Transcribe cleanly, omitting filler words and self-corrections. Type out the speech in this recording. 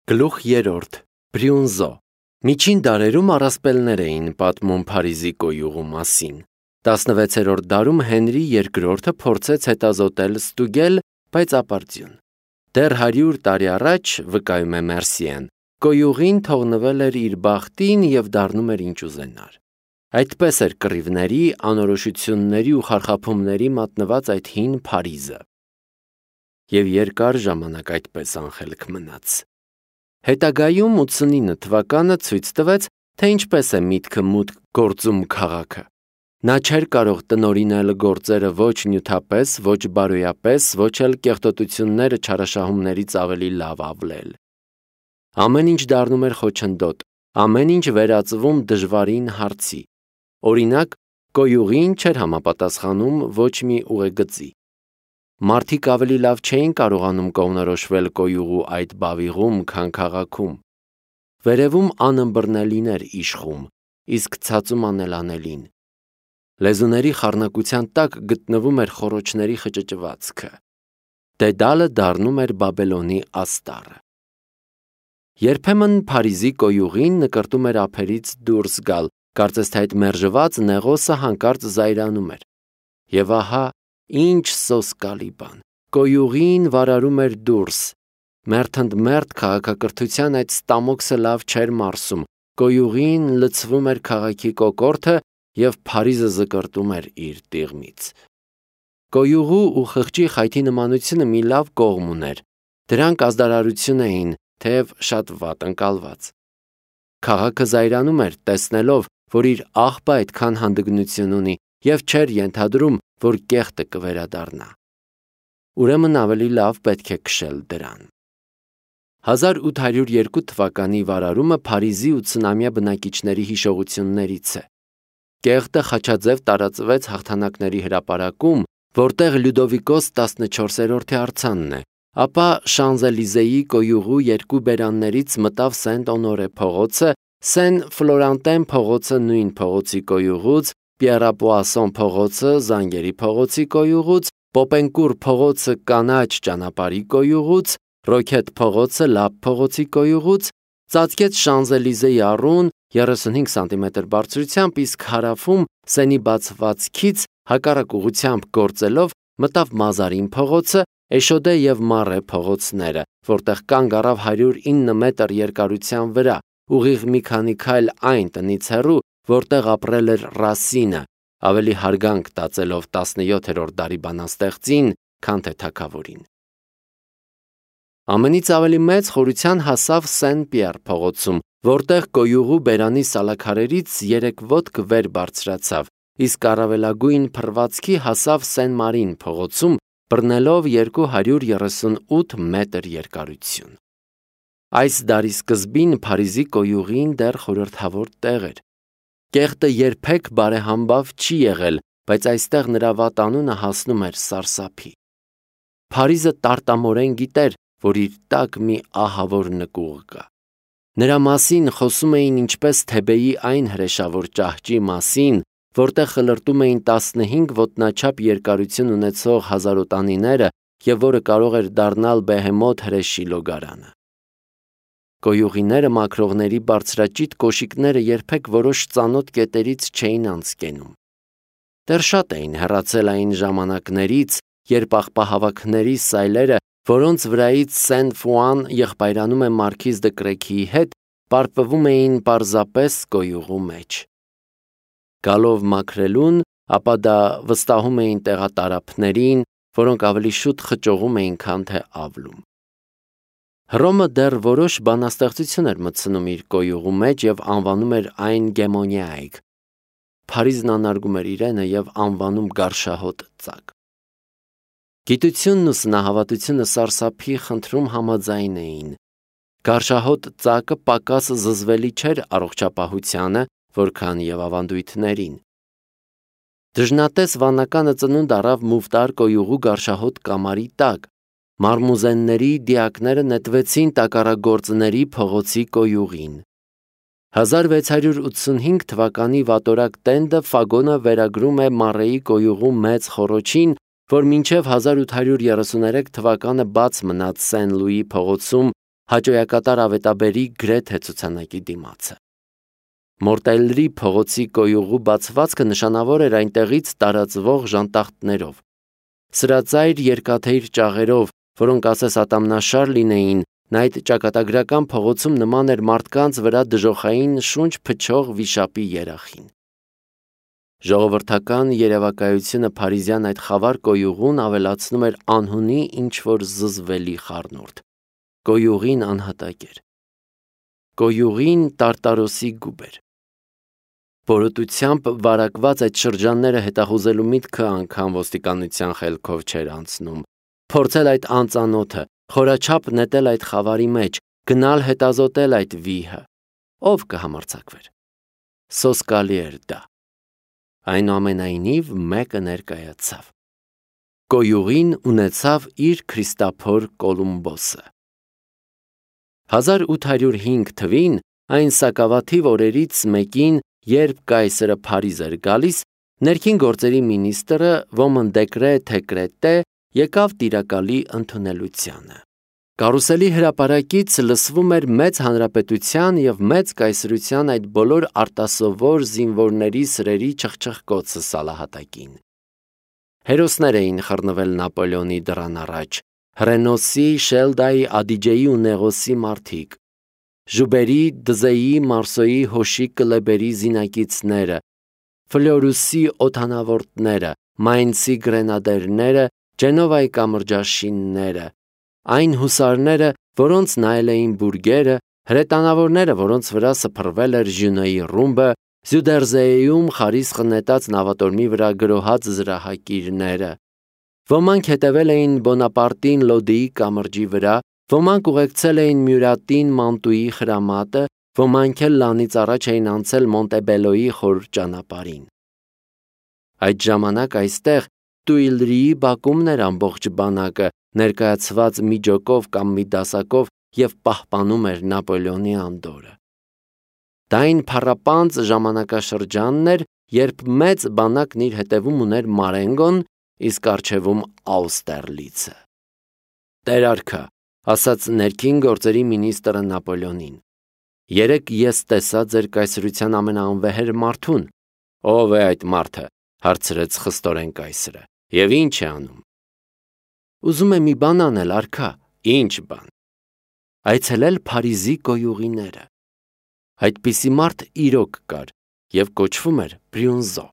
Գլուխ 3. Բրյունզո. Միջին դարերում առասպելներ էին պատմում Փարիզի կոյուղու մասին։ 16-րդ դարում Հենրի II փորձեց հետազոտել ստուգել, բայց ապարդյուն։ Դեռ 100 տարի առաջ, վկայում է Մերսիեն, կոյուղին թողնվել էր իր բախտին և դառնում էր ինչ ուզենար։ Այդպես էր կռիվների, անորոշությունների ու խարխափումների մատնված այդ հին Փարիզը։ Եվ երկար ժամանակ այդպես անխելք մնաց։ Հետագայում 89 թվականը ցույց տվեց, թե ինչպես է միտքը մուտք գործում քաղաքը։ Նա չէր կարող տնօրինել գործերը ոչ նյութապես, ոչ բարոյապես, ոչ էլ կեղտոտությունները չարաշահումներից ավելի լավ ավլել։ Ամեն ինչ դառնում էր խոչընդոտ, ամեն ինչ վերածվում դժվարին հարցի։ Օրինակ, կոյուղին չէր համապատասխանում ոչ մի ուղեգծի։ Մարդիկ ավելի լավ չէին կարողանում կողմնորոշվել կոյուղու այդ բավիղում, քան քաղաքում։ Վերևում անըմբռնելին էր իշխում, իսկ ցածում անելանելին։ Լեզուների խառնակության տակ գտնվում էր խոռոչների խճճվածքը։ Դեդալը դառնում էր Բաբելոնի աստառը։ Երբեմն Փարիզի կոյուղին նկրտում էր ափերից դուրս գալ, կարծես թե այդ մերժված նեղոսը հանկարծ զայրանում էր։ Եվ ահա, ինչ սոսկալի բան, կոյուղին վարարում էր դուրս։ Մերթընդմերթ քաղաքակրթության այդ ստամոքսը լավ չէր մարսում, կոյուղին լցվում էր քաղաքի կոկորդը և Փարիզը զկրտում էր իր տիղմից։ Կոյուղու ու խղճի խայթի նմանությունը մի լավ կողմ ուներ, դրանք ազդարարություն էին, թեև շատ վատ ընկալված։ Քաղաքը զայրանում էր, տեսնելով, որ իր աղբը այդքան հանդգնություն ունի և չէր ենթադրում, որ կեղտը կվերադառնա։ Ուրեմն ավելի լավ պետք է քշել դրան։ 1802 թվականի վարարումը Փարիզի 80-ամյա բնակիչների հիշողություններից է։ Կեղտը խաչաձև տարածվեց Հաղթանակների հրապարակում, որտեղ Լյուդովիկոս 14-րդի արձանն է, ապա Շանզելիզեի կոյուղու երկու բերաններից մտավ Սենտ-Օնորե փողոցը, Սեն-Ֆլորանտեն փողոցը նույն փողոցի կոյուղուց, Պիեռապոասոն փողոցը Զանգերի փողոցի կոյուղուց, Պոպենկուր փողոցը Կանաչ ճանապարհի կոյուղուց, Ռոքետ փողոցը Լապ փողոցի կոյուղուց, ծածկեց Շանզելիզեի առուն 35 սանտիմետր բարձրությամբ, իսկ հարավում Սենի բացվածքից հակառակ ուղղությամբ գործելով մտավ Մազարին փողոցը, Էշոդե և Մարե փողոցները, որտեղ կանգ առավ 109 մետր երկարության վրա, ուղիղ մի քանի քայլ այն տնից հեռու, որտեղ ապրել էր Ռասինը, ավելի հարգանք տածելով 17-րդ դարի բանաստեղծին, քան թե թագավորին։ Ամենից ավելի մեծ խորության հասավ Սեն-Պիեռ փողոցում, որտեղ կոյուղու բերանի սալաքարերից 3 ոտք վեր բարձրացավ, իսկ առավելագույն փռվածքի հասավ Սեն-Մարին փողոցում, բռնելով 238 մետր երկարություն։ Այս դարի սկզբին Փարիզի կոյուղին դեռ խորհրդավոր տեղ էր։ Կեղտը երբեք բարեհամբավ չի եղել, բայց այստեղ նրա վատանունը հասնում էր սարսափի։ Փարիզը տարտամորեն գիտեր, որ իր տակ մի ահավոր նկուղ կա։ Նրա մասին խոսում էին ինչպես Թեբեի այն հրեշավոր ճահճի մասին, որտեղ խլրտում էին 15 ոտնաչափ երկարություն ունեցող հազարոտանիները և որը կարող էր դառնալ բեհեմոթ հրեշի լոգարանը։ Կոյուղիները մաքրողների բարձրաճիտ կոշիկները երբեք որոշ ծանոթ կետերից չէին անցկենում։ Դեռ շատ էին հեռացել այն ժամանակներից, երբ աղբահավաքների սայլերը, որոնց վրայից Սեն-Ֆուան եղբայրանում է Մարքիզ դը Կրեքիի հետ, պարպվում էին պարզապես կոյուղու մեջ։ Գալով մաքրելուն, ապա դա վստահում էին տեղատարափներին, որոնք ավելի շուտ խճողում էին, քան թե ավլում։ Հռոմը դեռ որոշ բանաստեղծություն էր մտցնում իր կոյուղու մեջ և անվանում էր այն Գեմոնիայք։ Փարիզն անարգում էր իրենը և անվանում Գարշահոտ ծակ։ Գիտությունն ու սնահավատությունը սարսափի խնդրում համաձայն էին։ Գարշահոտ ծակը պակաս զզվելի չէր առողջապահությանը, որքան և ավանդույթներին։ Դժնատես վանականը ծնունդ առավ Մուվտար կոյուղու գարշահոտ կամարի տակ։ Մարմուզենների դիակները նետվեցին տակառագործների փողոցի կոյուղին։ 1685 թվականի վատորակ տենդը Ֆագոնը վերագրում է Մարեի կոյուղու մեծ խոռոչին, որ մինչև 1833 թվականը բաց մնաց Սեն-Լուի փողոցում հաճոյակատար ավետաբերի գրեթե ցուցանակի դիմացը։ Մորտելրի փողոցի կոյուղու բացվածքը նշանավոր էր այնտեղից տարածվող ժանտախտներով, սրածայր երկաթեիր ճաղերով, որոնք ասես ատամնաշար լինեին, նա այդ ճակատագրական փողոցում նման էր մարդկանց վրա դժոխային շունչ փչող վիշապի երախին։ Ժողովրդական երևակայությունը փարիզյան այդ խավար կոյուղուն ավելացնում էր անհունի ինչ-որ զզվելի խառնուրդ։ Կոյուղին անհատակ էր։ Կոյուղին տարտարոսի գուբ էր։ Բորոտությամբ վարակված այդ շրջանները հետախուզելու միտքը անգամ ոստիկանության խելքով չէր անցնում։ Փորձել այդ անծանոթը, խորաչափ նետել այդ խավարի մեջ, գնալ հետազոտել այդ վիհը։ Ով կհամարձակվեր։ Սոսկալի էր դա։ Այնուամենայնիվ մեկը ներկայացավ։ Կոյուղին ունեցավ իր Քրիստափոր Կոլումբոսը։ 1805 թվին այն սակավաթիվ օրերից մեկին, երբ կայսրը Փարիզ էր գալիս, ներքին գործերի մինիստրը ոմն դեկրե եկավ տիրակալի ընդունելությանը։ Կարուսելի հրապարակից լսվում էր մեծ հանրապետության եւ մեծ կայսրության այդ բոլոր արտասովոր զինվորների սրերի չխչխկոցը սալահատակին։ Հերոսներ էին խռնվել Նապոլեոնի դռան առաջ, Հռենոսի, Շելդայի, Ադիջեի ու Նեղոսի մարդիկ, Ժուբերի, Դզեի, Մարսոյի, Հոշի, Կլեբերի զինակիցները, Ֆլորուսի օդանավորդները, Մայնցի գրենադերները, Ջենովայի կամրջաշինները, այն հուսարները, որոնց նայել էին բուրգերը, հրետանավորները, որոնց վրա սփռվել էր Ժյունոյի ռումբը, Զյուդերզեում խարիսխ նետած նավատորմի վրա գրոհած զրահակիրները։ Ոմանք հետևել էին Բոնապարտին Լոդիի կամրջի վրա, ոմանք ուղեկցել էին Մյուրատին Մանտուի խրամատը, ոմանք էլ լանից առաջ էին անցել Մոնտեբելոյի խոր ճանապարհին։ Այդ ժամանակ այստեղ Տուիլրիի բակումն էր ամբողջ բանակը, ներկայացված մի ջոկով կամ մի դասակով և պահպանում էր Նապոլեոնի անդորը։ Դա այն փառապանծ ժամանակաշրջանն էր, երբ մեծ բանակն իր հետևում ուներ Մարենգոն, իսկ առջևում Աուստերլիցը։ «Տեր արքա», ասաց ներքին գործերի մինիստրը Նապոլեոնին, «երեկ ես տեսա ձեր կայսրության ամենաանվեհեր մարդուն»։ «Ով է այդ մարդը», հարցրեց խստորեն կայսրը, «և ինչ է անում»։ «Ուզում է մի բան անել, արքա»։ «Ինչ բան»։ «Այցելել Փարիզի կոյուղիները»։ Այդպիսի մարդ իրոք կար և կոչվում էր Բրյունզո։